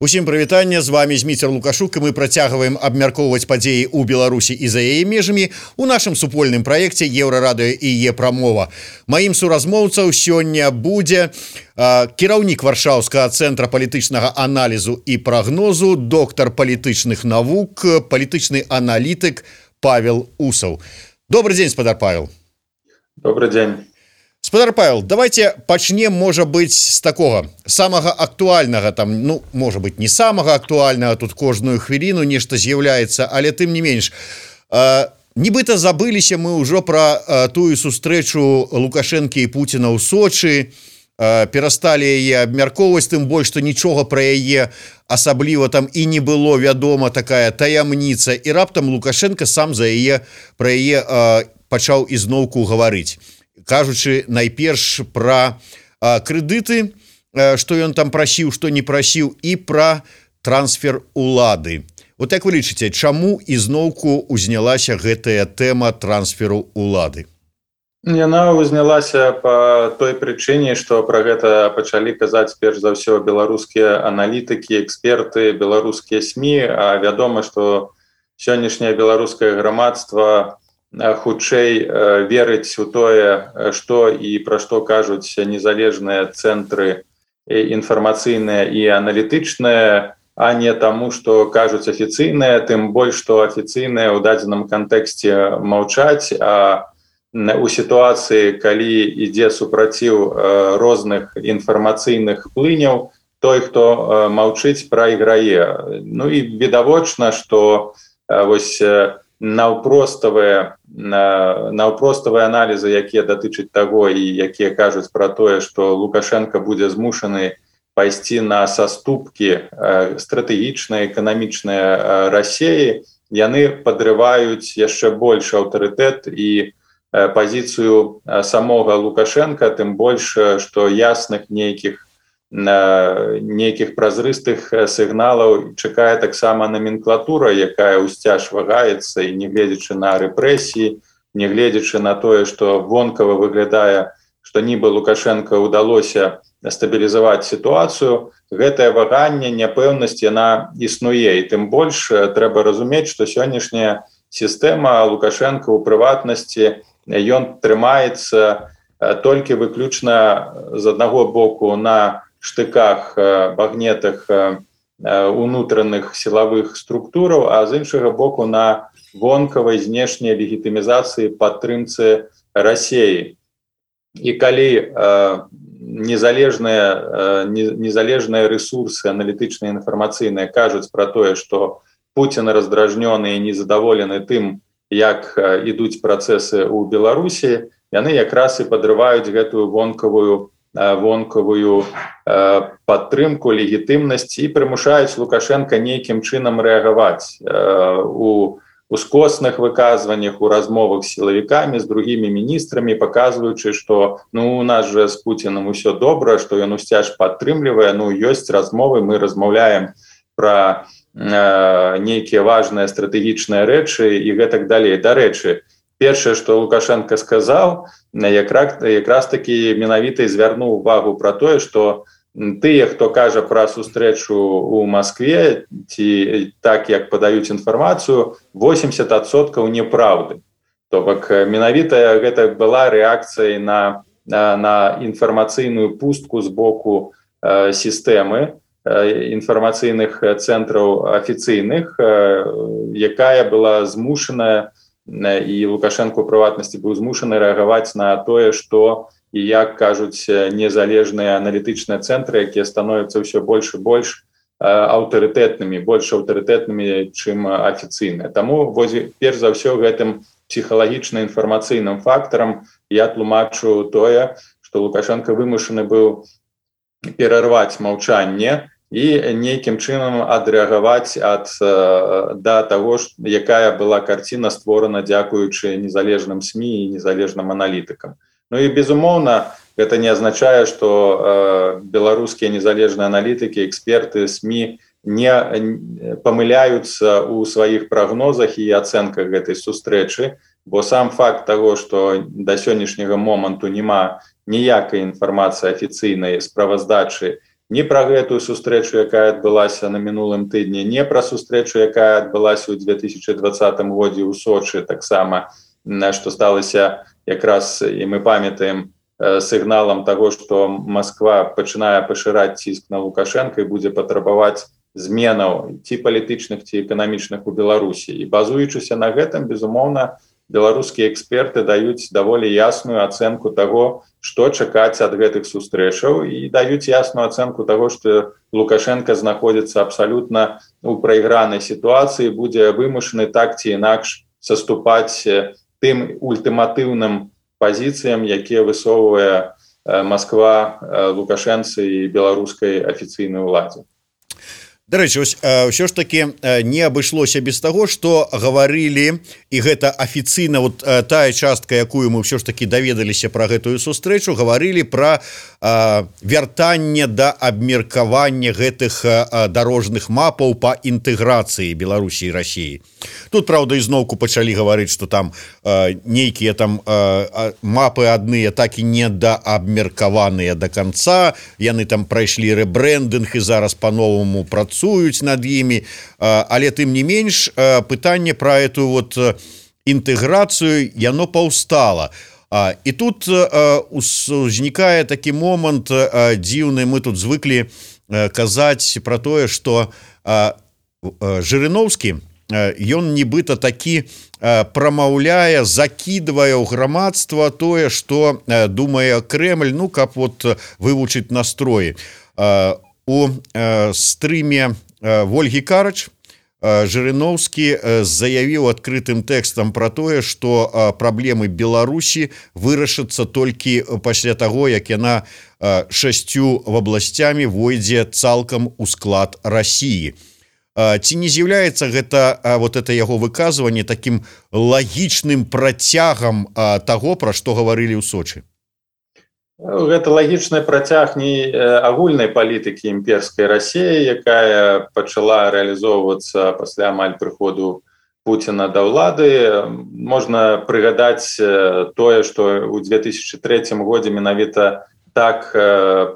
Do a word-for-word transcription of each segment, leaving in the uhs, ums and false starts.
Усім прывітанне, з вами Зміцер Лукашук, і мы працягваем абмяркоўваць падзеі ў Беларусі і за яе межамі у нашым супольным праекце Еўрарадыё і Е-прамова. Маім суразмоўцаў сёння будзе э, кіраўнік Варшаўскага цэнтра палітычнага аналізу і прагнозу, доктар палітычных навук, палітычны аналітык Павел Усаў. Добрый дзень, спадар Павел. Добрый дзень. Спадар Павел, давайте пачнем, можа быць, з такога самага актуальнага, там, ну, можа быць, не самага актуальнага, тут кожную хвіліну нешта з'яўляецца, але тым не менш. Э, нібыта забыліся мы ўжо пра э, тую сустрэчу Лукашэнкі і Пуціна ў Сочы, э, перасталі яе абмяркоўваць, тым больш, што нічога пра яе асабліва там і не было вядома, такая таямніца, і раптам Лукашенко сам за яе пра яе э, пачаў ізноўку гаварыць. Кажучы найперш пра а, крэдыты, а, што ён там прасіў, што не прасіў, і пра трансфер улады. Вот як вы лічыце, чаму ізноўку узнялася гэтая тэма трансферу улады? Яна узнялася па той прычыне, што пра гэта пачалі казаць перш за ўсё беларускія аналітыкі, эксперты, беларускія СМІ, а вядома, што сённяшняе беларускае грамадства хутчэй верыць у тое, што і пра што кажуць незалежныя цэнтры інфармацыйныя і аналітычныя, а не таму, што кажуць афіцыйныя, тым больш, што афіцыйныя ў дадзеным кантэксце маўчаць, а у сітуацыі, калі ідзе супраціў розных інфармацыйных плыняў, той, хто маўчыць, прайграе. Ну і відавочна, што вось наўпроставыя наўпроставыя аналізы, якія датычаць таго і якія кажуць пра тое, што Лукашенко будзе змушаны пайсці на саступкі стратэгічныя, эканамічныя Расіі, яны падрываюць яшчэ больш аўтарытэт і пазіцыю самога Лукашенка, тым больш, што ясных нейкіх нейкіх празрыстых сігналаў чакае таксама номенклатура, якая ўсцяж вагаецца, і не гледзячы на рэпрэсіі, не гледзячы на тое, што вонкава выглядае, што нібы Лукашенко ўдалося стабілізаваць сітуацыю, гэтае ваганне, няпэўнасць, яна існуе. І тым больш трэба разумець, што сённяшняя сістэма Лукашенко ў прыватнасці, ён трымаецца толькі выключна з аднаго боку на штыках, багнетах унутраных сілавых структураў, а з іншага боку на вонкавай знешняй легітымізацыі падтрымцы Расіі. І калі незалежныя, незалежныя рэсурсы аналітычныя, інфармацыйныя кажуць пра тое, што Пуцін раздражнёны і незадаволены тым, як ідуць працэсы ў Беларусі, яны якраз і падрываюць гэтую вонкавую вонкавую падтрымку, легітымнасць і прымушаюць Лукашенка нейкім чынам рэагаваць у ускосных выказваннях, у размовах з сілавікамі, з другімі міністрамі, паказваючы, што ну, у нас жа з Пуцінам усё добра, што ён усцяж падтрымлівае, ну, ёсць размовы, мы размаўляем пра нейкія важныя стратэгічныя рэчы і гэтак далей. Дарэчы, першае, што Лукашенко сказаў, якраз, якраз такі менавіта звярнуў увагу пра тое, што тыя, хто кажа пра сустрэчу ў Маскве, ці так, як падаюць інфармацыю, восемьдесят адсоткаў неправды. То бок менавіта гэта была рэакцыяй на, на, на інфармацыйную пустку з боку э, сістэмы інфармацыйных цэнтраў афіцыйных, э, якая была змушаная, і Лукашенко ў прыватнасці быў змушаны рэагаваць на тое, што і як кажуць незалежныя аналітычныя цэнтры, якія становяцца ўсё больш і больш аўтарытэтнымі, больш аўтарытэтнымі, чым афіцыйныя. Таму перш за ўсё гэтым псіхалагічна-інфармацыйным фактарам я тлумачу тое, што Лукашенко вымушаны быў перарваць маўчанне і нейкім чынам адрэагаваць ад да таго, якая была карціна створана дзякуючы незалежным СМІ і незалежным аналітыкам. Ну і безумоўна, гэта не азначае, што э, беларускія незалежныя аналітыкі, эксперты, СМІ не памыляюцца ў сваіх прагнозах і ацэнках гэтай сустрэчы, бо сам факт таго, што да сённяшняга моманту няма ніякай інфармацыі афіцыйнай справаздачы ні пра гэтую сустрэчу, якая адбылася на мінулым тыдні, не пра сустрэчу, якая адбылася ў две тысячи двадцатым годзе ў Сочы, таксама што сталася якраз, і мы памятаем, сігналам таго, што Масква пачынае пашыраць ціск на Лукашенка і будзе патрабаваць зменаў ці палітычных, ці эканамічных у Беларусі. І базуючыся на гэтым, безумоўна, беларускія эксперты даюць даволі ясную ацэнку таго, што чакаць ад гэтых сустрэчаў, і даюць ясную ацэнку таго, што Лукашенко знаходзіцца абсалютна у прайгранай сітуацыі, будзе вымушаны так ці інакш саступаць тым ультыматыўным пазіцыям, якія высоўвае Масква Лукашэнцы і беларускай афіцыйнай уладзе. Дарэчы, ўсё ж таки не абышлося без таго, што гаварылі, і гэта афіцыйна, вот тая частка, якую мы ўсё ж таки даведаліся пра гэтую сустрэчу, гаварылі пра вяртанне да абмеркавання гэтых дарожных мапаў па інтэграцыі Беларусі і Расіі. Тут, праўда, ізноўку пачалі гаварыць, што там нейкія там мапы адныя так і не даабмеркаваныя да канца, яны там прайшлі рэбрэндынг і зараз па-новаму працуюць над імі, але тым не менш пытанне пра эту вот інтэграцыю яно паўстала. І тут узнікае такі момант дзіўны, мы тут звыклі казаць пра тое, што Жырыноўскі, ён нібыта такі прамаўляе, закідвае ў грамадства тое, што думае Крэмль, ну, каб вот вывучыць настроі. У стрыме Вольгі Карач Жырыноўскі заявіў адкрытым тэкстам пра тое, што праблемы Беларусі вырашацца толькі пасля таго, як яна шасцю вобласцямі войдзе цалкам у склад Расіі. Ці не з'яўляецца гэта вот это яго выказванне такім лагічным працягам таго, пра што гаварылі ў Сочы? Гэта лагічны працяг не агульнай палітыкі імперскай Расіі, якая пачала рэалізоўвацца пасля амаль прыходу Пуціна да ўлады. Можна прыгадаць тое, што ў две тысячи трэцім годзе менавіта так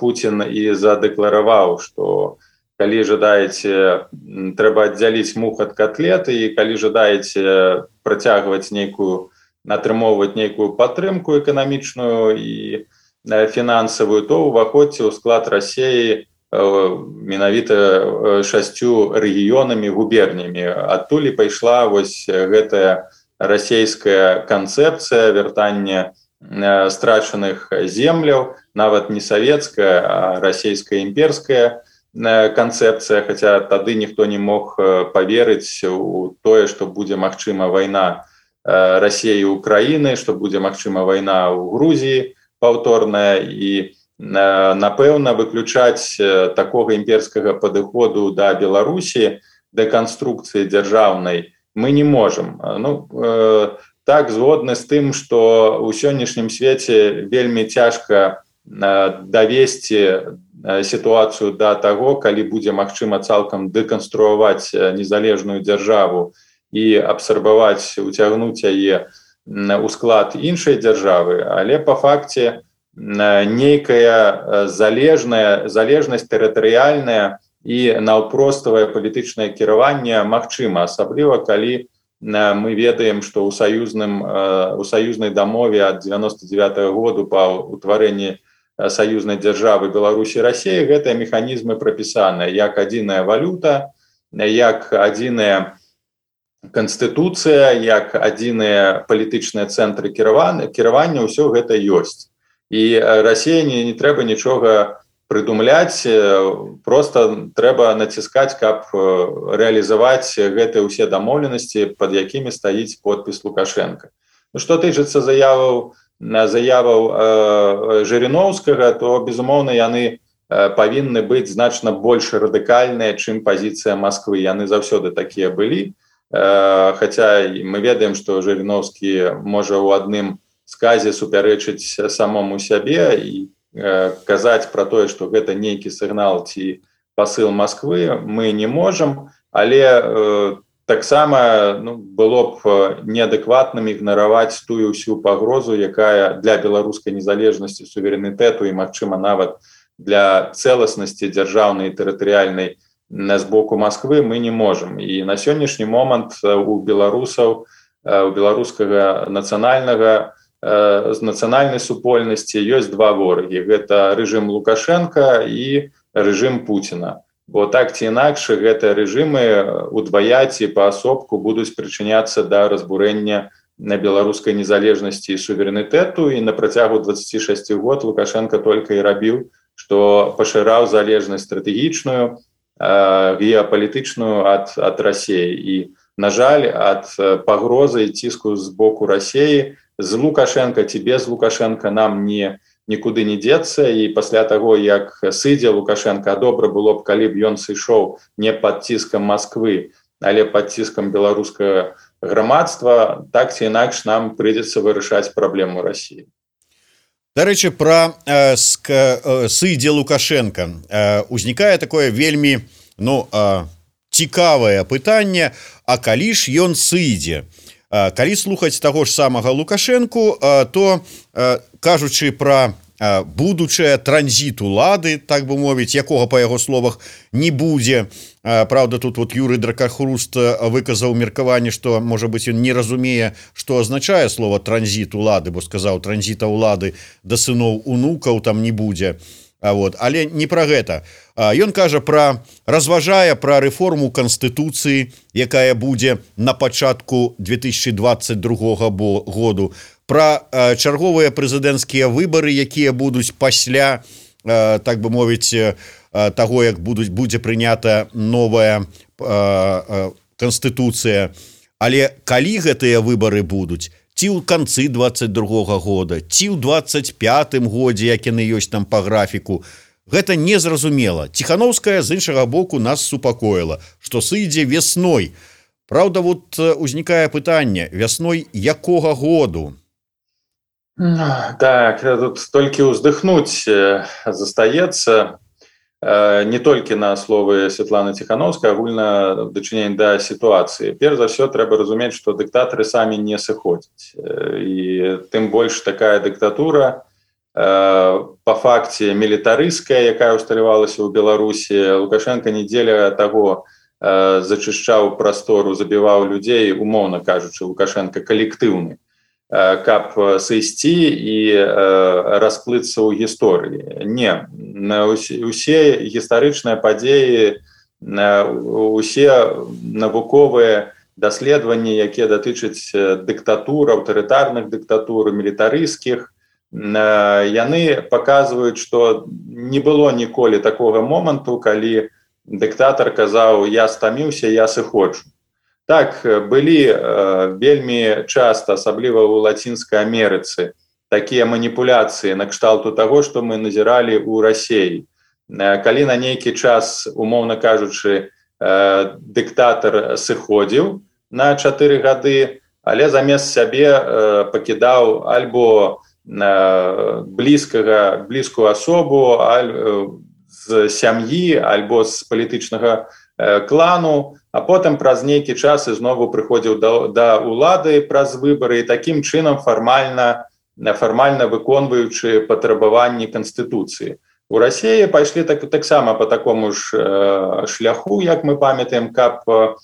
Пуцін і задэклараваў, што калі жадаеце, трэба аддзяліць мух ад котлеты, і калі жадаеце працягваць нейкую, атрымоўваць нейкую падтрымку эканамічную і фінансавую, то ўваходзьце ў склад Расіі менавіта шасцю рэгіёнамі, губернямі. Адтуль і пайшла вось гэтая расійская канцэпцыя вяртання страчаных земляў, нават не савецкая, а расійская імперская канцэпцыя, хаця тады ніхто не мог паверыць у тое, што будзе магчыма вайна Расіі і Украіны, што будзе магчыма вайна ў Грузіі паўторная, і напэўна выключаць такога імперскага падыходу да Беларусі, да канструкцыі дзяржаўнай мы не можам. Ну, так, згодны з тым, што ў сённяшнім свеце вельмі цяжка давесці сітуацыю да таго, калі будзе магчыма цалкам дэканструаваць незалежную дзяржаву і абсарбаваць, уцягнуць яе у склад іншай дзяржавы, але па факце нейкая залежная залежнасць тэрытарыяльная і наўпроставае палітычнае кіраванне магчыма, асабліва калі мы ведаем, што ў саюзным у саюзнай дамове ад дзевяноста дзевятага году па ўтварэнні саюзнай дзяржавы Беларусі і Расіі гэтыя механізмы прапісаныя як адзіная валюта, як адзіная Канстытуцыя, як адзіныя палітычныя цэнтры кіравання, ўсё гэта ёсць. І Расіі не, не трэба нічога прыдумляць, просто трэба націскаць, каб рэалізаваць гэтыя ўсе дамоўленасці, пад якімі стаіць подпіс Лукашенка. Ну, што тычыцца заяваў, заяваў э, Жырыноўскага, то, безумоўна, яны павінны быць значна больш радыкальныя, чым пазіцыя Масквы. Яны заўсёды такія былі. Хаця мы ведаем, што Жырыноўскі можа ў адным сказе супярэчыць самому сябе і казаць пра тое, што гэта нейкі сігнал ці пасыл Масквы, мы не можам, але таксама ну, было б неадэкватным ігнараваць тую ўсю пагрозу, якая для беларускай незалежнасці, суверэнітэту і, магчыма, нават для цэласнасці дзяржаўнай тэрытарыяльнай з боку Москвы мы не можам. І на сённяшні момант у беларусаў, у беларускага нацыянальнага з нацыянальнай супольнасці ёсць два ворагі. Гэта рэжым Лукашенка і рэжым Пуціна. Бо так ці інакш гэтыя рэжымы удвая ці паасобку будуць прычыняцца да разбурэння на беларускай незалежнасці і суверэнітэту, і на працягу дваццаці шасці год Лукашенко только і рабіў, што пашыраў залежнасць стратэгічную, геапалітычную ад, ад Расіі. І, на жаль, ад пагрозы і ціску з боку Расіі з Лукашенко ці без Лукашенко нам не, нікуды не дзецца. І пасля таго, як сыдзе Лукашенко, добра было б, калі б ён сышоў не пад ціскам Москвы, але пад ціскам беларускага грамадства, так ці інакш нам прыйдзецца вырашаць праблему Расіі. Дарэчы, пра э, э, сыдзе Лукашенко э, узнікае такое вельмі ну, э, цікавае пытанне, а калі ж ён сыдзе? Э, калі слухаць таго ж самага Лукашенку, э, то э, кажучы пра э, будучае транзіт улады, так бы мовіць, якога па яго словах не будзе. Э, Праўда, тут вот Юрый Дракахруст выказаў меркаванне, што, можа быць, ён не разумее, што азначае слова транзіт улады, бо сказаў, транзіта улады да сыноў унукаў там не будзе. А вот, але не пра гэта. Ён кажа пра разважае пра рэформу Канстытуцыі, якая будзе на пачатку две тысячи двадцать другога году, пра чарговыя прэзідэнцкія выбары, якія будуць пасля, так бы мовіць, таго, як будуць будзе прынята новая Канстытуцыя. Але калі гэтыя выбары будуць? Ці ў канцы двадцать другога года, ці ў двадцать пятым годзе, як яны ёсць там па графіку. Гэта незразумела. Ціхановская з іншага боку нас супакоіла, што сыдзе весной. Праўда, вот узнікае пытанне, вясной якога году? Так, тут толькі ўздыхнуць застаецца. Не толькі на словы Святланы Ціхановскай, агульна дачыненне да сітуацыі. Перш за ўсё трэба разумець, што дыктатары самі не сыходзяць. І тым больш такая дыктатура па факце мілітарысцкая, якая усталявалася ў Беларусі. Лукашенко недзеля таго зачышчаў прастору, забіваў людзей, умоўна кажучы, Лукашенко калектыўны, каб сысці і расплыцца ў гісторыі. Не, усе гістарычныя падзеі, усе навуковыя даследаванні, якія датычаць дыктатур, аўтарытарных дыктатур, мілітарысцкіх, яны паказваюць, што не было ніколі такога моманту, калі дыктатар казаў: «Я стаміўся, я сыходжу». Так, былі э, вельмі часта, асабліва ў Лацінскай Амерыцы, такія маніпуляцыі на кшталту таго, што мы назіралі ў Расіі. Э, калі на нейкі час, умоўна кажучы, э, дыктатар сыходзіў на чатыры гады, але замест сябе э, пакідаў альбо э, блізкага, блізкую асобу, аль, э, з сям'і, альбо з палітычнага э, клану, а потым праз нейкі час ізнову прыходзіў да, да ўлады праз выбары, і такім чынам фармальна, фармальна выконваючы патрабаванні Канстытуцыі. У Расіі пайшлі так, таксама па такому ж э, шляху, як мы памятаем, каб э,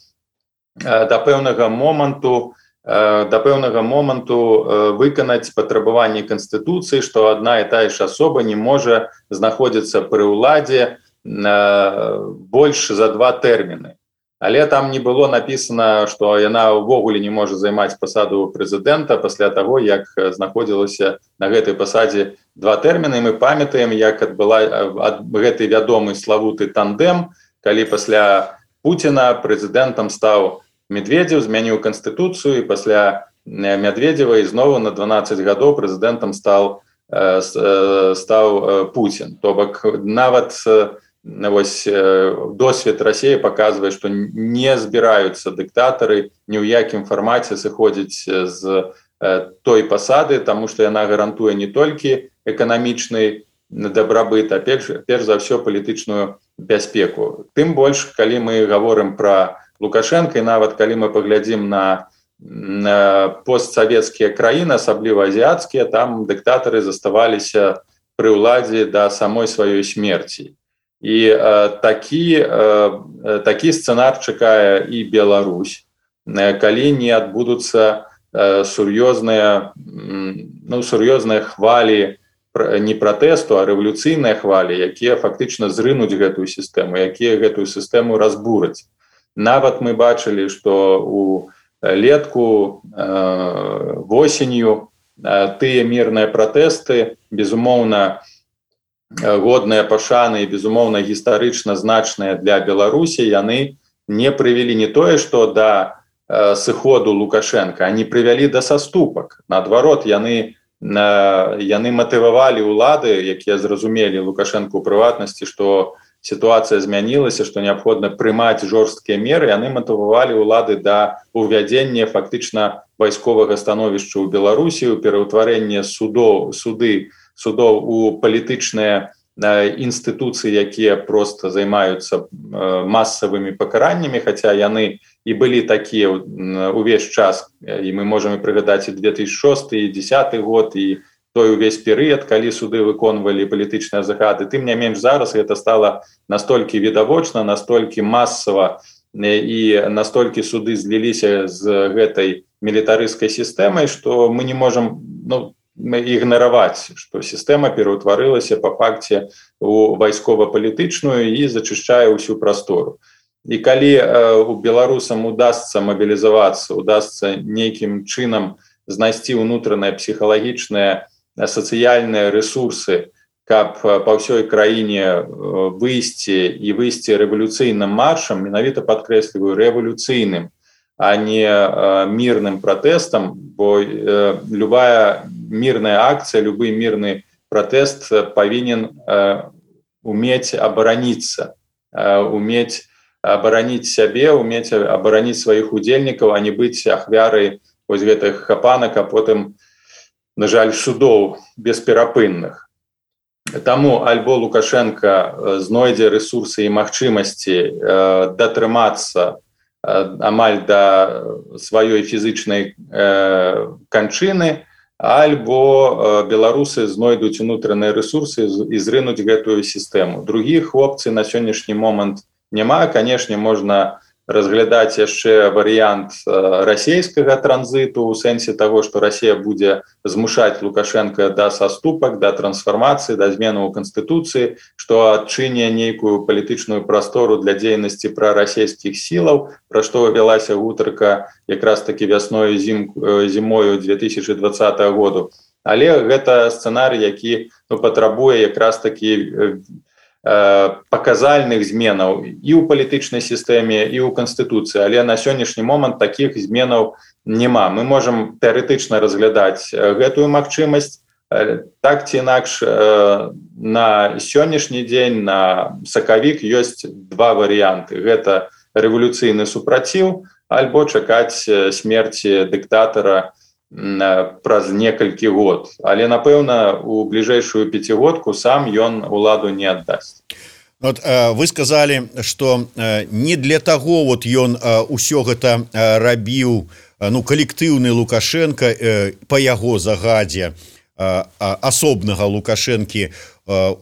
да пэўнага моманту, э, да пэўнага моманту э, выканаць патрабаванні Канстытуцыі, што адна і тая ж асоба не можа знаходзіцца пры ўладзе э, больш за два тэрміны. Але там не было напісана, што яна ўвогуле не можа займаць пасаду прэзідэнта пасля таго, як знаходзілася на гэтай пасадзе два тэрміны. Мы памятаем, як адбыла ад гэты вядомы славуты тандем, калі пасля Пуціна прэзідэнтам стаў Медведзеў, змяніў Канстытуцыю, і пасля Медведзева ізноў на дванаццаць гадоў прэзідэнтам стаў, стаў Пуцін. То бок нават вось досвед Расіі паказвае, што не збіраюцца дыктатары ні ў якім фармаце сыходзіць з той пасады, таму што яна гарантуе не толькі эканамічны дабрабыт, а перш, перш за ўсё палітычную бяспеку. Тым больш, калі мы гаворым пра Лукашенка, і нават калі мы паглядзім на, на постсавецкія краіны, асабліва азіяцкія, там дыктатары заставаліся пры ўладзе да самой сваёй смерці. І э, такі, э, такі сцэнар чакае і Беларусь, э, калі не адбудуцца э, сур'ёзныя, ну, сур'ёзныя хвалі не пратэсту, а рэвалюцыйныя хвалі, якія фактычна зрынуць гэтую сістэму, якія гэтую сістэму разбураць. Нават мы бачылі, што у летку, э, восенню э, тыя мірныя пратэсты, безумоўна, годныя пашаны і, безумоўна, гістарычна значныя для Беларусі, яны не прывялі не тое, што да э, сыходу Лукашенка, они прывялі да саступак. Наадварот, яны яны матывавалі ўлады, якія зразумелі Лукашенко ў прыватнасці, што сітуацыя змянілася, што неабходна прымаць жорсткія меры, яны матывавалі ўлады да увядзення фактычна вайсковага становішча ў Беларусі, у пераўтварэнне судоў, суды, судоў у палітычныя інстытуцыі, якія проста займаюцца масавымі пакараннямі, хаця яны і былі такія ўвесь час, і мы можам прыгадаць і две тысячи шосты, і дзесяты год, і той увесь перыяд, калі суды выконвалі палітычныя загады. Тым не менш зараз гэта стала настолькі відавочна, настолькі масава, і настолькі суды зліліся з гэтай мілітарысцкай сістэмай, што мы не можам, ну, ігнараваць, што сістэма пераўтварылася па факце у вайскова-палітычную і зачышчае ўсю прастору. І калі э, у беларусам удасца мабілізавацца, удасца нейкім чынам знайсці ўнутраныя псіхалагічныя сацыяльныя рэсурсы, каб па ўсёй краіне выйсці і выйсці рэвалюцыйным маршам, менавіта падкрэсліваю рэвалюцыйным, а не э, мірным пратэстам, бо э, любая мірная акцыя, любы мірны пратэст павінен э, умець абараніцца, э, умець абараніць сябе, умець абараніць сваіх удзельнікаў, а не быць ахвярай вось гэтых хапанак, а потым, на жаль, судоў бесперапынных. Таму альбо Лукашенко знойдзе рэсурсы і магчымасці датрымацца амаль да сваёй фізычнай канчыны, альбо беларусы знойдуць унутраныя рэсурсы і зрынуць гэтую сістэму. Другіх опцый на сённяшні момант няма. Канешне, можна разглядаць яшчэ варыянт расійскага транзіту ў сэнсе таго, што Расія будзе змушаць Лукашенка да саступак, да трансфармацыі, да зменаў у канстытуцыі, што адчыне нейкую палітычную прастору для дзейнасці прарасійскіх сілаў, пра што вялася гутарка якраз такі вясною зім, зімою две тысячи двадцатого году. Але гэта сцэнарый, які, ну, патрабуе якраз такі паказальных зменаў і ў палітычнай сістэме, і ў канстытуцыі, але на сённяшні момант такіх зменаў няма. Мы можам тэарэтычна разглядаць гэтую магчымасць. Так ці інакш, на сённяшні дзень, на сакавік ёсць два варыянты. Гэта рэвалюцыйны супраціў, альбо чакаць смерці дыктатара праз некалькі год. Але, напэўна, у бліжэйшую пяцігодку сам ён уладу не аддасць. Вот, вы сказалі, што не для таго вот ён усё гэта рабіў, ну, калектыўны Лукашенко па яго загадзе асобнага Лукашэнкі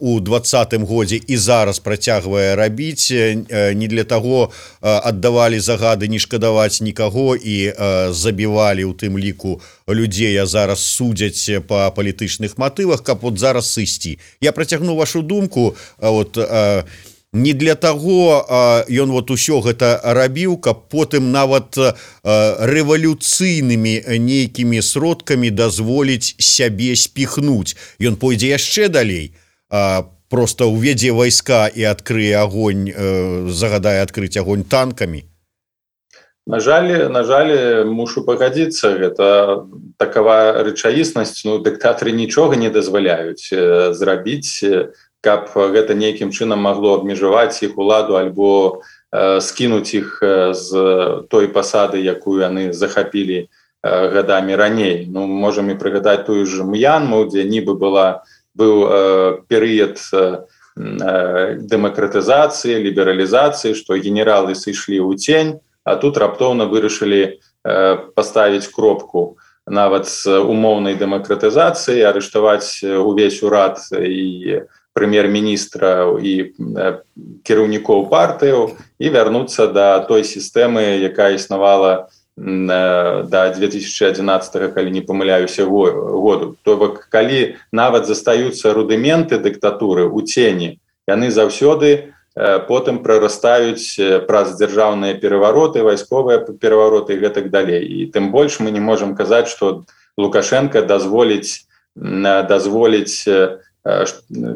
у двадцатым годзе і зараз працягвае рабіць, не для таго аддавалі загады не шкадаваць нікаго і забівалі ў тым ліку людзей, а зараз судзяць па палітычных матывах, каб вот зараз сысці. Я працягну вашу думку, вот, не для таго ён вот усё гэта рабіў, каб потым нават рэвалюцыйнымі нейкімі сродкамі дазволіць сябе спіхнуць. Ён пойдзе яшчэ далей, просто уведзе вайска і адкрые огонь, загадае адкрыць огонь танкамі. На жаль, на жаль, мушу пагадзіцца, гэта такова рэчаіснасць, ну, дыктатары нічога не дазваляюць зрабіць, каб гэта нейкім чынам магло абмежаваць іх уладу альбо э, скінуць іх з той пасады, якую яны захапілі э, гадамі раней. Ну, можам і прыгадаць тую ж М'янму, дзе нібы была, быў э, перыяд э, дэмакратызацыі, лібералізацыі, што генералы сышлі ў цень, а тут раптоўна вырашылі э, паставіць кропку нават з умоўнай дэмакратызацыяй, арыштаваць увесь урад і прэм'ер-міністра і кіраўнікоў партыяў і вярнуцца да той сістэмы, якая існавала да две тысячи одиннадцатого, калі не памыляюся году. То бок, калі нават застаюцца рудыменты дыктатуры ў цені, яны заўсёды потым прарастаюць праз дзяржаўныя перавароты, вайсковыя перавароты і гэтак далей. І тым больш мы не можам казаць, што Лукашенко дазволіць дазволіць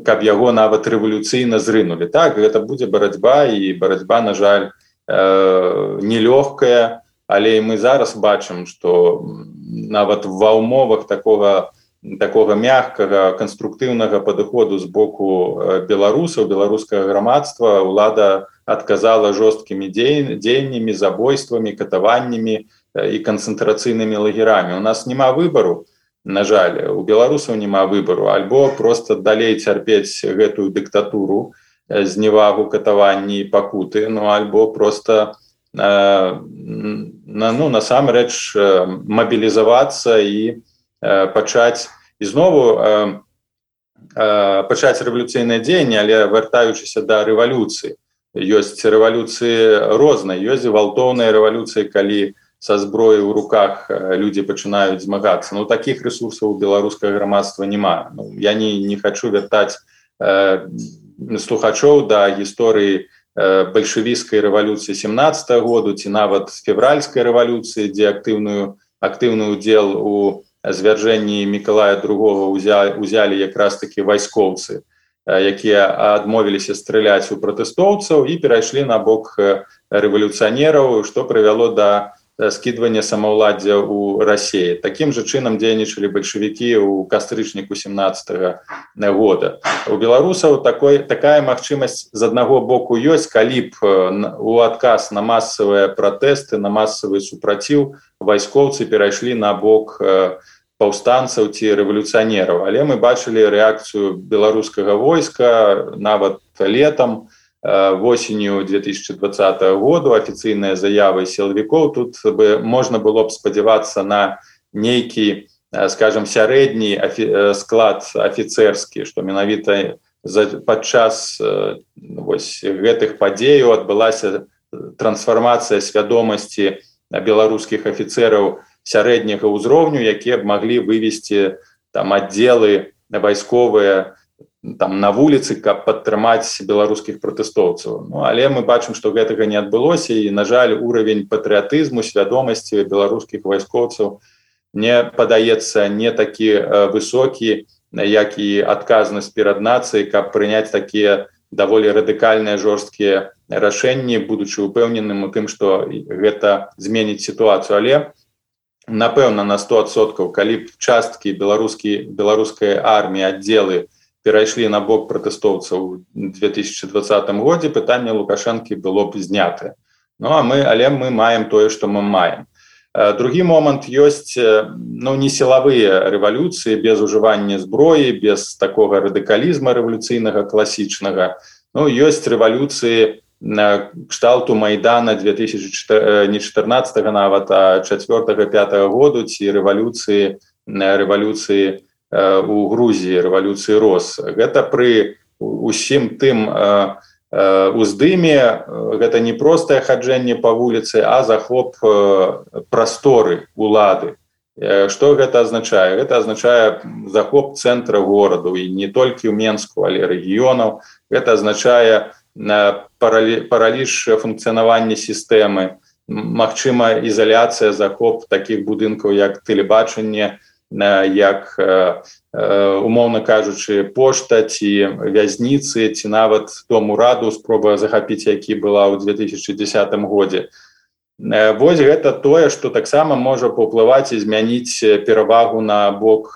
каб яго нават рэвалюцыйна зрынулі. Так, гэта будзе барацьба, і барацьба, на жаль, нелёгкая, але мы зараз бачым, што нават ва ўмовах такога, такога мягкага, канструктыўнага падыходу з боку беларусаў, беларускага грамадства, улада адказала жорсткімі дзеяннямі, забойствамі, катаваннямі і канцэнтрацыйнымі лагерамі. У нас няма выбару, на жаль, у беларусаў няма выбару, альбо просто далей цярпець гэтую дыктатуру, зневагу, катаванні і пакуты, ну альбо просто э, ну, насамрэч мабілізавацца і э, пачаць ізнову э, э, пачаць рэвалюцыйнае дзеянне, але вяртаючыся да рэвалюцыі. Ёсць рэвалюцыі розныя, ёсць гвалтоўныя рэвалюцыі, калі са зброей у руках людзі пачынаюць змагацца. Ну, такіх ресурсаў у беларускага грамадства няма. Ну, я не, не хочу вяртаць э, слухачоў да гісторыі э, бальшавіцкай рэвалюцыі семнадцатого году ці нават февральскай рэвалюцыі, дзе актыўную, актыўны ўдзел у звяржэнні Мікалая другога ўзялі, ўзялі якраз такі вайскоўцы, э, якія адмовіліся страляць у пратэстоўцаў і перайшлі на бок рэвалюцыянераў, што прывяло да скидывание самоуладдзя у России. Таким же чынам дзейнічалі бальшавікі ў кастрычніку семнадцатого года. У беларусаў такой, такая магчымасць з аднаго боку ёсць, калі б у адказ на масавыя пратэсты, на масавы супраціў вайскоўцы перайшлі на бок паўстанцаў ці рэвалюцыянераў. Але мы бачылі рэакцыю беларускага войска нават летам, восенню две тысячи двадцатого года, афіцыйныя заявы сілавікоў. Тут бы можна было б спадзявацца на нейкі, скажем, сярэдні склад афіцэрскі, што менавіта падчас вось гэтых падзеяў адбылася трансфармацыя свядомасці беларускіх афіцэраў сярэдняга ўзроўню, якія б маглі вывесці там аддзелы вайсковыя там на вуліцы, каб падтрымаць беларускіх пратэстоўцаў. Ну, але мы бачым, што гэтага не адбылося, і, на жаль, уровень патрыятызму, свядомасці беларускіх вайскоўцаў мне падаецца не такі высокі, як і адказнасць перад нацыяй, каб прыняць такія даволі радыкальныя жорсткія рашэнні, будучы упэўненым у тым, што гэта зменіць сітуацыю. Але напэўна, на сто адсоткаў, калі б часткі беларускай арміі, аддзелы перайшлі на бок пратэстоўцаў у две тысячи двадцатым годзе, пытанне Лукашэнкі было б знятае. Ну, а мы, але мы маем тое, што мы маем. Другі момант ёсць, ну, не сілавыя рэвалюцыі без ужывання зброі, без такога радыкалізма рэвалюцыйнага класічнага. Ну, ёсць рэвалюцыі кшталту Майдана две тысячи чатырнаццатого нават, а чацвёртага-пятага году, ці рэвалюцыі рэвалюцыі у Грузіі, рэвалюцыі Рос. Гэта пры усім тым уздыме, гэта не простае хаджэнне па вуліцы, а захоп прасторы улады. Што гэта азначае? Гэта азначае захоп цэнтра гораду, і не толькі ў Менску, але рэгіёнаў. Гэта азначае параліж функцыянавання сістэмы, магчыма ізаляцыя, захоп такіх будынкаў, як тэлебачанне, як, умоўна кажучы, пошта ці вязніцы, ці нават дом ураду, спроба захапіць, які была ў две тысячи дзесятым годзе. Вось гэта тое, што таксама можа паўплываць і змяніць перавагу на бок,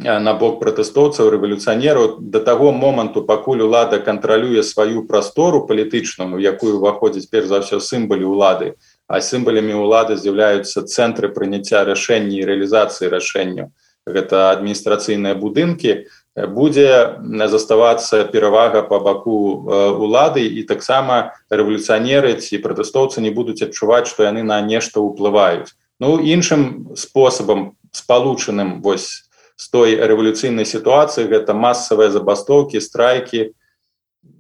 на бок пратэстоўцаў, рэвалюцыянераў да таго моманту, пакуль улада кантралюе сваю прастору палітычную, у якую ўваходзяць перш за ўсё сімвалы ўлады, а сімвалямі ўлады з'яўляюцца цэнтры прыняцця рашэнняў і рэалізацыі рашэнняў. Гэта адміністрацыйныя будынкі, будзе заставацца перавага па баку улады, і таксама рэвалюцыянеры ці пратэстоўцы не будуць адчуваць, што яны на нешта ўплываюць. Ну іншым спосабам спалучаным вось з той рэвалюцыйнай сітуацыі гэта масавыя забастоўкі, страйкі,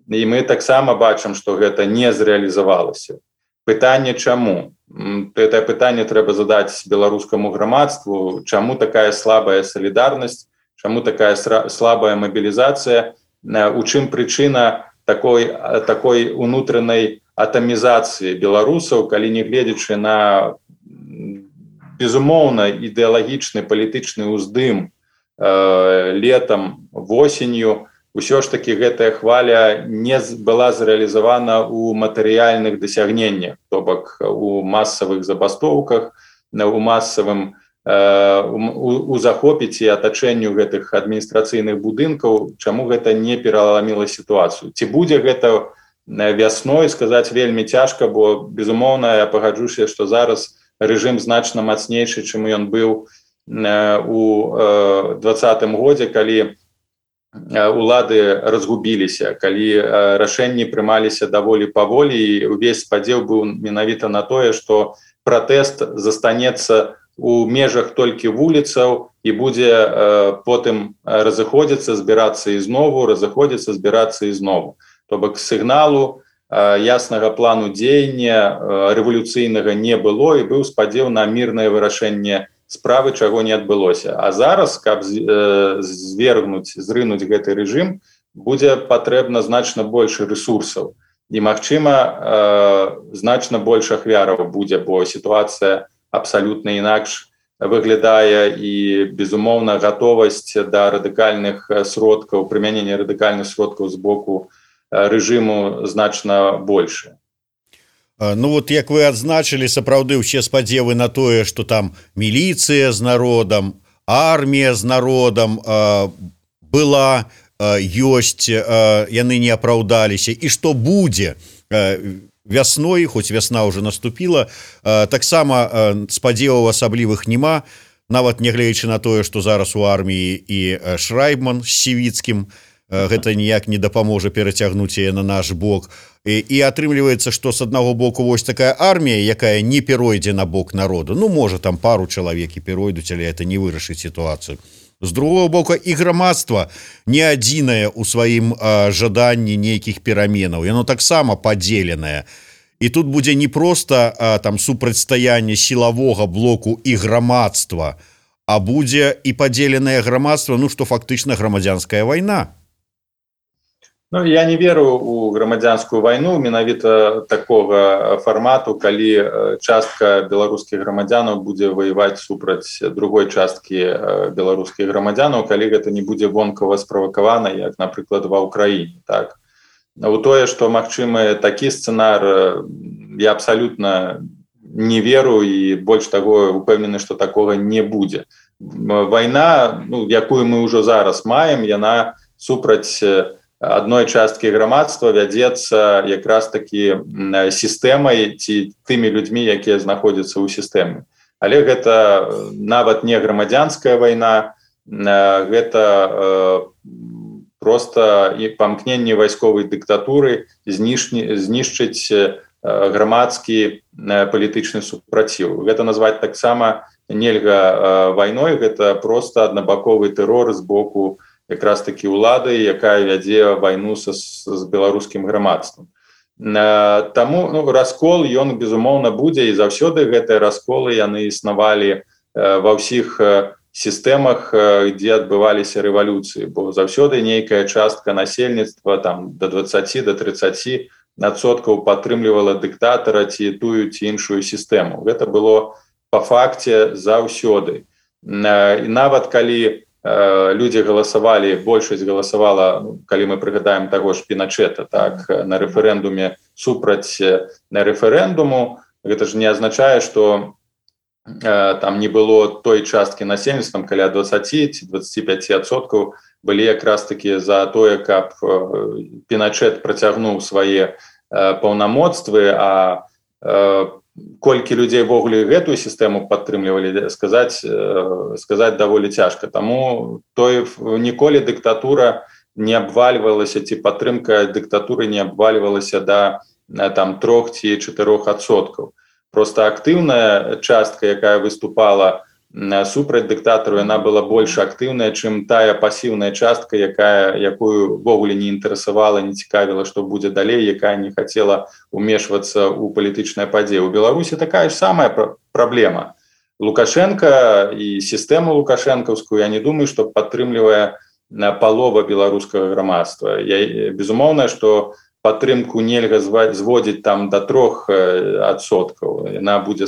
і мы таксама бачым, што гэта не зрэалізавалася. Пытанне чаму? Гэтае пытанне трэба задаць беларускаму грамадству, чаму такая слабая салідарнасць, чаму такая слабая мабілізацыя, у чым прычына такой, такой унутранай атамізацыі беларусаў, калі не гледзячы на безумоўна ідэалагічны палітычны ўздым э, летам, восенню, усё ж таки гэтая хваля не была зрэалізавана ў матэрыяльных дасягненнях, то бок у масавых забастоўках, у масавым э, у, у захопіць і атачэнню гэтых адміністрацыйных будынкаў, чаму гэта не пераламіла сітуацыю. Ці будзе гэта вясной, сказаць вельмі цяжка, бо безумоўна я пагаджуся, што зараз рэжым значна мацнейшы, чым ён быў у двадцатым годзе, калі улады разгубіліся, калі рашэнні прымаліся даволі паволі, і увесь спадзеў быў менавіта на тое, што пратэст застанецца у межах толькі вуліцаў і будзе потым разыходзіцца, збірацца ізнову, разыходзіцца, збірацца ізнову. То бок сігналу яснага плану дзеяння рэвалюцыйнага не было, і быў спадзеў на мірнае вырашэнне справы, чаго не адбылося. А зараз, каб звергнуць, зрынуць гэты рэжым, будзе патрэбна значна больш рэсурсаў. І, магчыма, значна больш ахвяраў будзе, бо сітуацыя абсалютна інакш выглядае, і, безумоўна, гатовасць да радыкальных сродкаў, прымянення радыкальных сродкаў з боку рэжыму значна больше. Ну вот як вы адзначылі, сапраўды ўсе спадзевы на тое, што там міліцыя з народам, армія з народам э, была, э, ёсць, э, яны не апраўдаліся, і што будзе э, вясной, хоць вясна ўжо наступіла, э, таксама э, спадзеваў асаблівых няма, нават нягледзячы на тое, што зараз у арміі і Шрайбман з Сівіцкім, гэта ніяк не дапаможа перацягнуць яе на наш бок. І, і атрымліваецца, што з аднаго боку вось такая армія, якая не перайдзе на бок народу. Ну, можа, там пару чалавек і перайдуць, але это не вырашыць сітуацыю. З другого боку, і грамадства не адзінае ў сваім а, жаданні нейкіх пераменаў. Яно таксама падзеленае. І тут будзе не проста а, там супрацьстаянне сілавога блоку і грамадства, а будзе і падзеленае грамадства, ну, што фактычна грамадзянская вайна. Ну, я не веру у грамадзянскую вайну менавіта такога фармату, калі частка беларускіх грамадзянаў будзе ваяваць супраць другой часткі беларускіх грамадзянаў, калі гэта не будзе вонкава справакавана, як, напрыклад, ва ўкраіне. Так. У тое, што магчымы такі сцэнар, я абсалютна не веру, і больш таго упэўнены, што такога не будзе. Вайна, ну, якую мы ўжо зараз маем, яна супраць адной часткі грамадства вядзецца якраз такі сістэмай ці тымі людзьмі, якія знаходзяцца ў сістэме. Але гэта нават не грамадзянская вайна, гэта проста памкненне вайсковай дыктатуры знішчыць грамадскі палітычны супраціў. Гэта назваць таксама нельга вайной, гэта проста аднабаковы тэрор з боку якраз такі ўлады, якая вядзе вайну са, з беларускім грамадствам. Таму ну, раскол, ён, безумоўна, будзе, і заўсёды гэтыя расколы, яны існавалі ва ўсіх сістэмах, дзе адбываліся рэвалюцыі, бо заўсёды нейкая частка насельніцтва, там, да дваццаці да трыццаці адсоткаў падтрымлівала дыктатара ці тую ці іншую сістэму. Гэта было па факце заўсёды. І нават калі людзі галасавалі, большасць галасавала, калі мы прыгадаем таго ж Піначэта, так, на рэферэндуме супраць на рэферэндуму, гэта ж не азначае, што э, там не было той часткі насельніцтва, каля дваццаці ці дваццаці пяці адсоткаў былі якраз такі за тое, каб Піначэт працягнуў свае э, паўнамоцтвы, а э, колькі людзей ввогуле гэтую сістэму падтрымлівалі, сказаць, сказаць даволі цяжка. Таму той ніколі дыктатура не абвальвалася, ці падтрымка дыктатуры не абвальвалася да там трох ці чатырох адсоткаў. просто актыўная частка, якая выступала супраць дыктатару, яна была больш актыўная, чым тая пасіўная частка, якая якую ввогуле не інтарэсавала, не цікавіла, што будзе далей, якая не хацела ўмешвацца ў палітычныя падзеі. У Беларусі такая ж самая праблема. Лукашенко і сістэму лукашэнкаўскую, я не думаю, што падтрымлівае палова беларускага грамадства. Я, безумоўна, што падтрымку нельга зводзіць там до трох адсоткаў. Яна будзе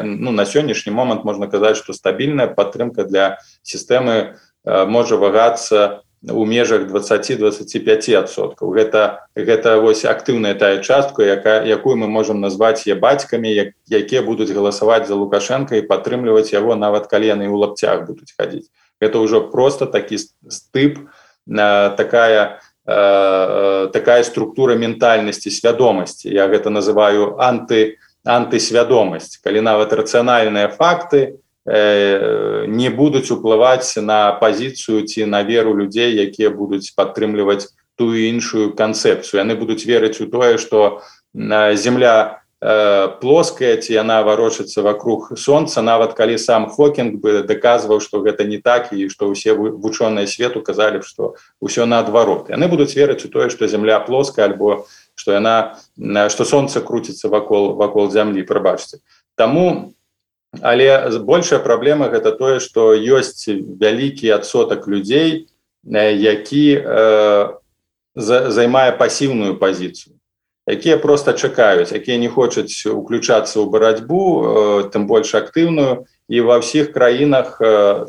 ну, на сённяшні момант можна казаць, што стабільная падтрымка для сістэмы можа вагацца у межах дваццаць-дваццаць пяць адсоткаў. Гэта, гэта вось актыўная тая частка, яка, якую мы можам назваць е бацькамі, як, якія будуць галасаваць за Лукашенка і падтрымліваць яго, нават калі яны ў лапцях будуць хадзіць. Гэта ўжо просто такі стып, такая такая структура ментальнасці, свядомасці. Я гэта называю анты, антысвядомасць, калі нават рацыянальныя факты э, не будуць уплываць на пазіцыю ці на веру людзей, якія будуць падтрымліваць тую іншую канцэпцыю. Яны будуць верыць у тое, што земля э, плоская, ці яна варочацца вакруг сонца, нават калі сам Хокінг бы даказваў, што гэта не так, і што ўсе вучоныя свету казалі, што ўсё наадварот. Яны будуць верыць у тое, што земля плоская, альбо што яна, што сонца круціцца вакол, вакол зямлі, прабачце. Таму, але большая праблема гэта тое, што ёсць вялікі адсотак людзей, які э, займае пасіўную пазіцыю, якія проста чакаюць, якія не хочуць уключацца ў барацьбу, тым больш актыўную, і ва ўсіх краінах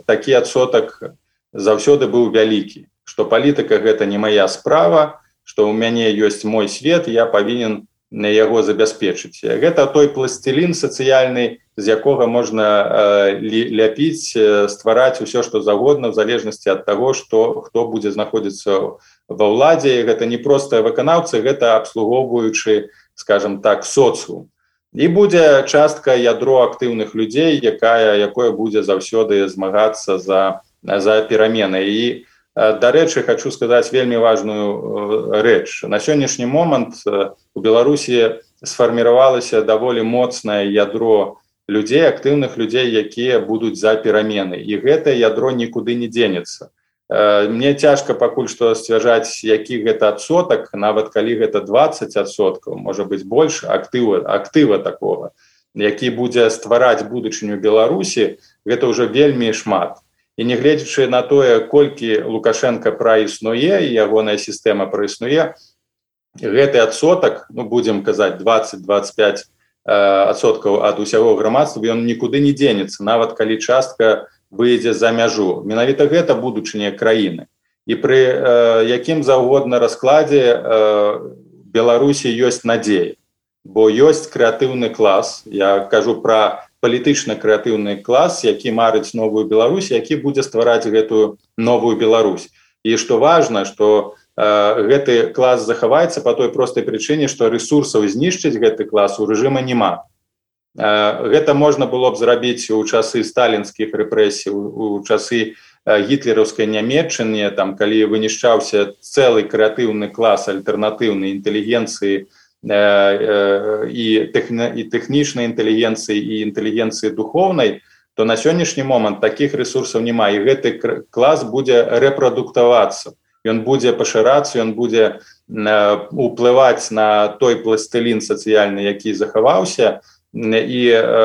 такі адсотак заўсёды быў вялікі, што палітыка гэта не мая справа, што ў мяне ёсць мой свет, я павінен яго забяспечыць. Гэта той пласцелін сацыяльны, з якога можна ляпіць, ствараць усё, што загодна, в залежнасці ад таго, што хто будзе знаходзіцца ва ўладзе. Гэта не простыя выканаўцы, гэта абслугоўваючы, скажем так, соцыум. І будзе частка ядро актыўных людзей, якая, якое будзе заўсёды змагацца за, за перамены. І, дарэчы, хочу сказаць вельмі важную рэч. На сённяшні момант у Беларусі сфарміравалася даволі моцнае ядро людзей, актыўных людзей, якія будуць за перамены. І гэта ядро нікуды не дзенецца. Мне цяжка пакуль што сцвярджаць, які гэта адсотак, нават калі гэта дваццаць адсоткаў, можа быць больш актыва, актыва такога, які будзе ствараць будучыню Беларусі, гэта ўжо вельмі шмат. І не гледзячы на тое, колькі Лукашенка праіснуе і ягоная сістэма праіснуе, гэты адсотак, ну будзем казаць дваццаць-дваццаць пяць адсоткаў ад усяго грамадства, ён нікуды не дзенецца, нават калі частка выйдзе за мяжу. Менавіта гэта будучыня краіны. І пры э, якім заўгодна раскладзе э, Беларусі ёсць надзея, бо ёсць крэатыўны клас. Я кажу пра палітычна-крэатыўны клас, які марыць новую Беларусь, які будзе ствараць гэтую новую Беларусь. І што важна, што э, гэты клас захаваецца па той простай прычыне, што рэсурсаў знішчыць гэты клас у рэжыма няма. Гэта можна было б зрабіць у часы сталінскіх рэпрэсій, у часы гітлераўскай Нямецчыны, там, калі вынішчаўся цэлы крэатыўны клас альтэрнатыўнай інтэлігенцыі і тэхнічнай інтэлігенцыі і інтэлігенцыі духоўнай, то на сённяшні момант такіх рэсурсаў няма, і гэты клас будзе рэпрадуктавацца. Ён будзе пашырацца, ён будзе уплываць на той пластылін сацыяльны, які захаваўся, і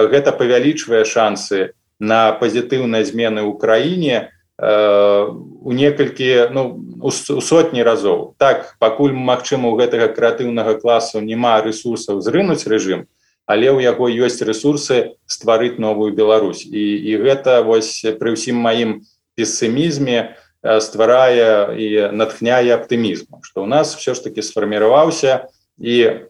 гэта павялічвае шансы на пазітыўныя змены ў краіне у некалькі, ну, у сотні разоў. Так, пакуль, магчыма, у гэтага крэатыўнага класу няма рэсурсаў зрынуць рэжым, але ў яго ёсць рэсурсы стварыць новую Беларусь. І, і гэта вось пры ўсім маім песімізме стварае і натхняе аптымізму, што ў нас все ж таки сфарміраваўся і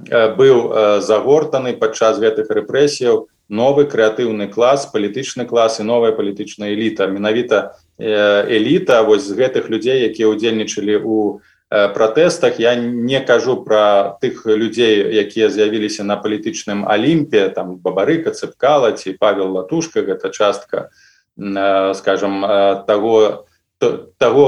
быў загортаны падчас гэтых рэпрэсіяў новы крэатыўны клас, палітычны клас і новая палітычная эліта. Менавіта эліта вось з гэтых людзей, якія ўдзельнічалі ў пратэстах. Я не кажу пра тых людзей, якія з'явіліся на палітычным алімпе, там Бабарыка, Цыпкала ці Павел Латушка, гэта частка, скажем, таго таго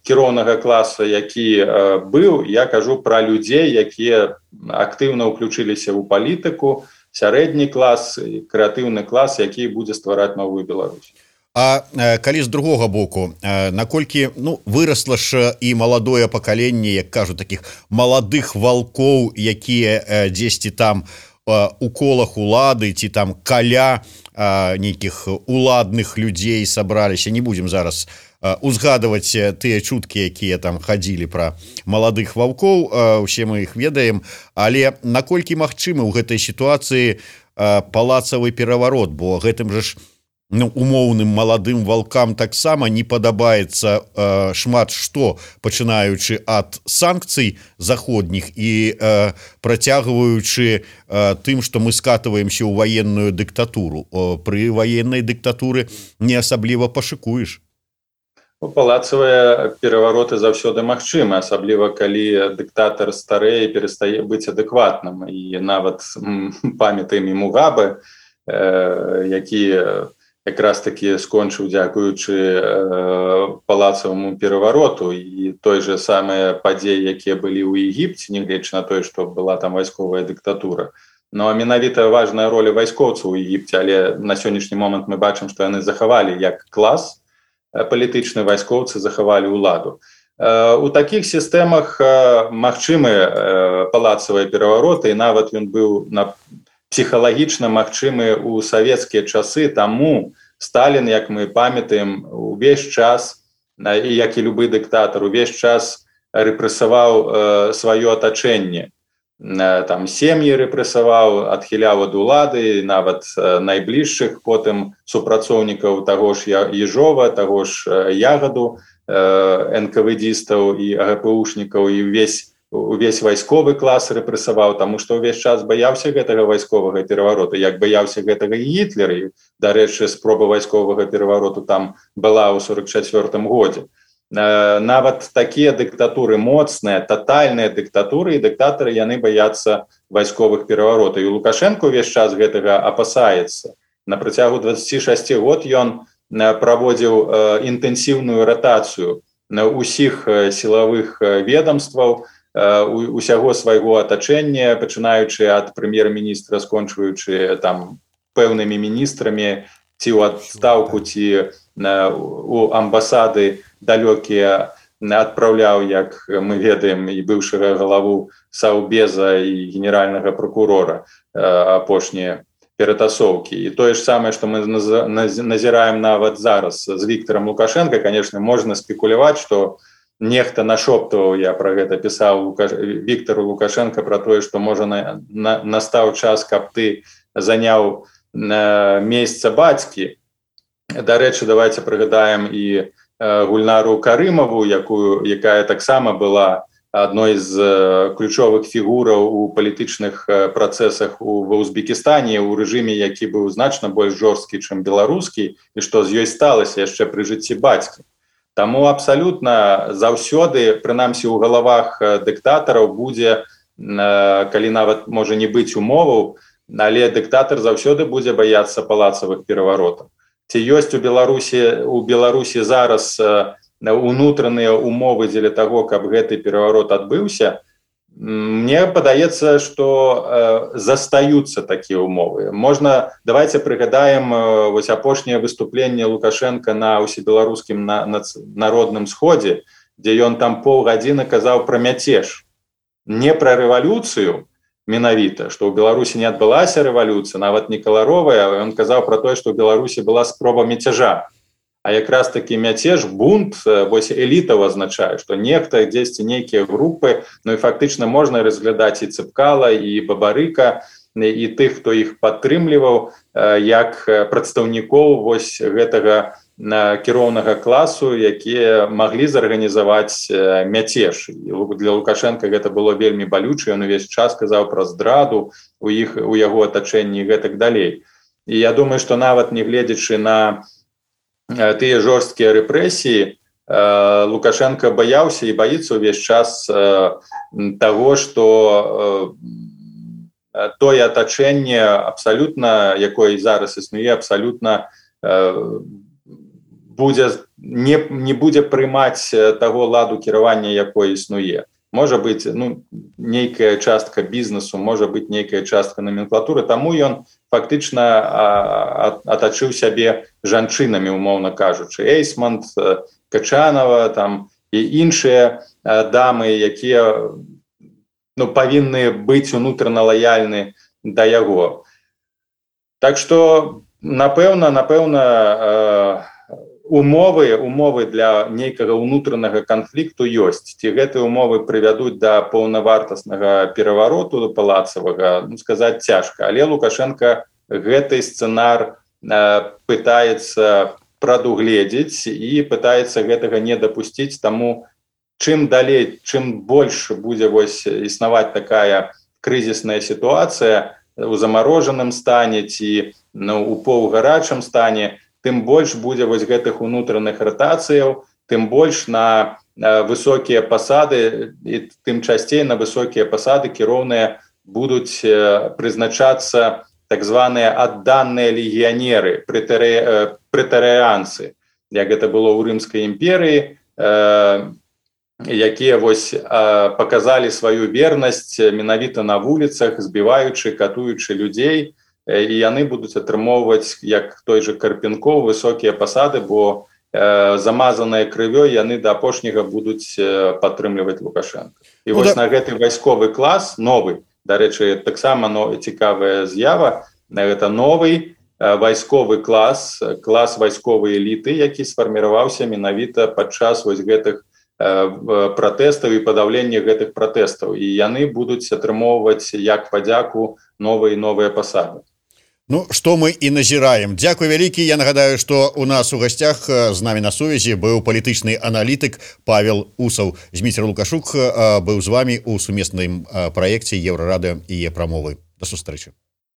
кіроўнага класа, які быў, я кажу пра людзей, якія актыўна ўключыліся ў палітыку, сярэдні клас, крэатыўны клас, які будзе ствараць новую Беларусь. А калі з другога боку, наколькі ну вырасла ж і маладое пакаленне, як кажу, такіх маладых валкоў, якія дзесьці там у колах улады ці там каля нейкіх уладных людзей сабраліся, не будзем зараз узгадываць тыя чуткі, якія там хадзілі пра маладых ваўкоў, усе мы іх ведаем, але наколькі магчымы ў гэтай сітуацыі палацавы пераварот, бо гэтым жа ж ну, умоўным маладым валкам таксама не падабаецца э, шмат што, пачынаючы ад санкцый заходніх і э, працягваючы э, тым, што мы скатываемся ў ваенную дыктатуру. О, пры ваеннай дыктатуры не асабліва пашыкуеш. Палацавыя перавароты заўсёды магчымы, асабліва калі дыктатар старэе перастае быць адэкватным. І нават памятаем і Мугабе, э, які якраз таки скончыў дзякуючы э, палацаваму перавароту, і той же самыя падзеі, якія былі ў Егіпце, нягледзячы на тое, што была там вайсковая дыктатура. Ну а менавіта важная роля вайскоўцаў у Егіпце, але на сённяшні момант мы бачым, што яны захавалі як клас палітычны, вайскоўцы захавалі ўладу. Э, у такіх сістэмах э, магчымы э, палацавыя перавароты, і нават ён быў на псіхалагічна магчымы ў савецкія часы, таму Сталін, як мы памятаем, увесь час, і як і любы дыктатар, увесь час рэпрэсаваў э, сваё атачэнне. Э, там сем'і рэпрэсаваў, адхіляў ад улады, нават э, найбліжшых потым супрацоўнікаў таго ж Ежова, таго ж э, Ягаду, э, эн ка вэ дістаў і а гэ пэ ушнікаў, і ўвесь увесь вайсковы клас рэпрэсаваў, таму што ўвесь час баяўся гэтага вайсковага перавароту, як баяўся гэтага і Гітлер. Дарэчы, спроба вайсковага перавароту там была ў сорок чацвёртым годзе. Нават такія дыктатуры моцныя, татальныя дыктатуры, і дыктатары яны баяцца вайсковых пераваротаў. І Лукашенко ўвесь час гэтага апасаецца. На працягу дваццаці шасці год ён праводзіў інтэнсіўную ратацыю ўсіх сілавых ведомстваў, усяго свайго атачэння, пачынаючы ад прэм'ер-міністра, скончваючы там пэўнымі міністрамі, ці ў адстаўку, ці у амбасады далёкія адпраўляў, як мы ведаем, і быўшага галаву Саўбеза і генеральнага прокурора апошнія ператасоўкі. І тое ж самае, што мы назіраем нават зараз з Віктарам Лукашенко, конечно, можна спекуляваць, што нехта нашоптваў, я пра гэта пісаў Віктару Лукашенко, пра тое, што можа на, на, настаў час, каб ты заняў на месца бацькі. Дарэчы, давайте прыгадаем і э, Гульнару Карымаву, якую, якая таксама была адной з э, ключовых фігураў у палітычных э, працэсах у, ва Узбекістане, у рэжыме, які быў значна больш жорсткі, чым беларускі, і што з ёй сталася яшчэ пры жыцці бацькі. Таму абсалютна заўсёды, прынамсі ў галавах дыктатараў, будзе, калі нават можа не быць умоваў, але дыктатар заўсёды будзе баяцца палацавых пераваротаў. Ці ёсць у Беларусі, у Беларусі зараз унутраныя умовы дзеля таго, каб гэты пераварот адбыўся? Мне падаецца, што э, застаюцца такія умовы. Можна, давайте прыгадаем э, вось апошняе выступленне Лукашенко на ўсебеларускім на, на, народным сходзе, дзе ён там паўгадзіны казаў пра мяцеж. Не пра рэвалюцыю менавіта, што ў Беларусі не адбылася рэвалюцыя, нават не каларовая, ён казаў пра тое, што ў Беларусі была спроба мяцяжа. А якраз такі мяцеж, бунт, вось элітаў азначае, што нехта, дзесьці нейкія групы, ну і фактычна можна разглядаць і Цыпкала, і Бабарыка, і тых, хто іх падтрымліваў, як прадстаўнікоў вось гэтага кіроўнага класу, якія маглі зарганізаваць мяцеж. І для Лукашенка гэта было вельмі балюча, ён увесь час казаў пра здраду у іх, у яго атачэнні і гэтак далей. І я думаю, што нават не гледзячы на тыя жорсткія рэпрэсіі, Лукашенко баяўся і баіцца ўвесь час таго, што тое атачэнне абсалютна, якое зараз існуе, абсалютна будзе не, не будзе прымаць таго ладу кіравання, якое існуе. Можа быць, ну, нейкая частка бізнесу, можа быць нейкая частка номенклатуры, таму ён фактычна атачыў сябе жанчынамі, умоўна кажучы. Эйсмонт, Качанова там, і іншыя дамы, якія ну, павінны быць унутрана лаяльны да яго. Так што, напэўна, напэўна, умовы, умовы для нейкага ўнутранага канфлікту ёсць. Ці гэтыя умовы прывядуць да паўнавартаснага перавароту палацавага, ну, сказаць цяжка. Але Лукашенко гэты сцэнар э, пытаецца прадугледзець і пытаецца гэтага не дапусціць. Таму чым далей, чым больш будзе вось існаваць такая крызісная сітуацыя у замарожаным стане ці ну, у паўгарачым стане, тым больш будзе вось гэтых унутраных ратацыяў, тым больш на э, высокія пасады і тым часцей на высокія пасады кіроўныя будуць э, прызначацца так званыя адданыя легіянеры, прэтарыянцы, як гэта было ў Рымскай імперыі, э, якія вось э, паказалі сваю вернасць менавіта на вуліцах, збіваючы, катуючы людзей, і яны будуць атрымоўваць, як той же Карпенков, высокія пасады, бо э, замазаныя крывёй яны да апошняга будуць э, падтрымліваць Лукашенко. І ну, вось да... на гэты вайсковы клас, новы, дарэчы, таксама но, цікавая з'ява, гэта новый э, вайсковы клас, клас вайсковай эліты, які сфарміраваўся менавіта падчас вось гэтых э, пратэстаў і падаўлення гэтых пратэстаў. І яны будуць атрымоўваць як падзяку новыя і новыя пасады. Ну, што мы і назіраем. Дзякуй вялікі. Я нагадаю, што у нас у гасцях з намі на сувязі быў палітычны аналітык Павел Усаў. Зміцер Лукашук быў з вамі ў сумесным праекце Еўрарадыё і Е-прамовы. Да сустрэчы.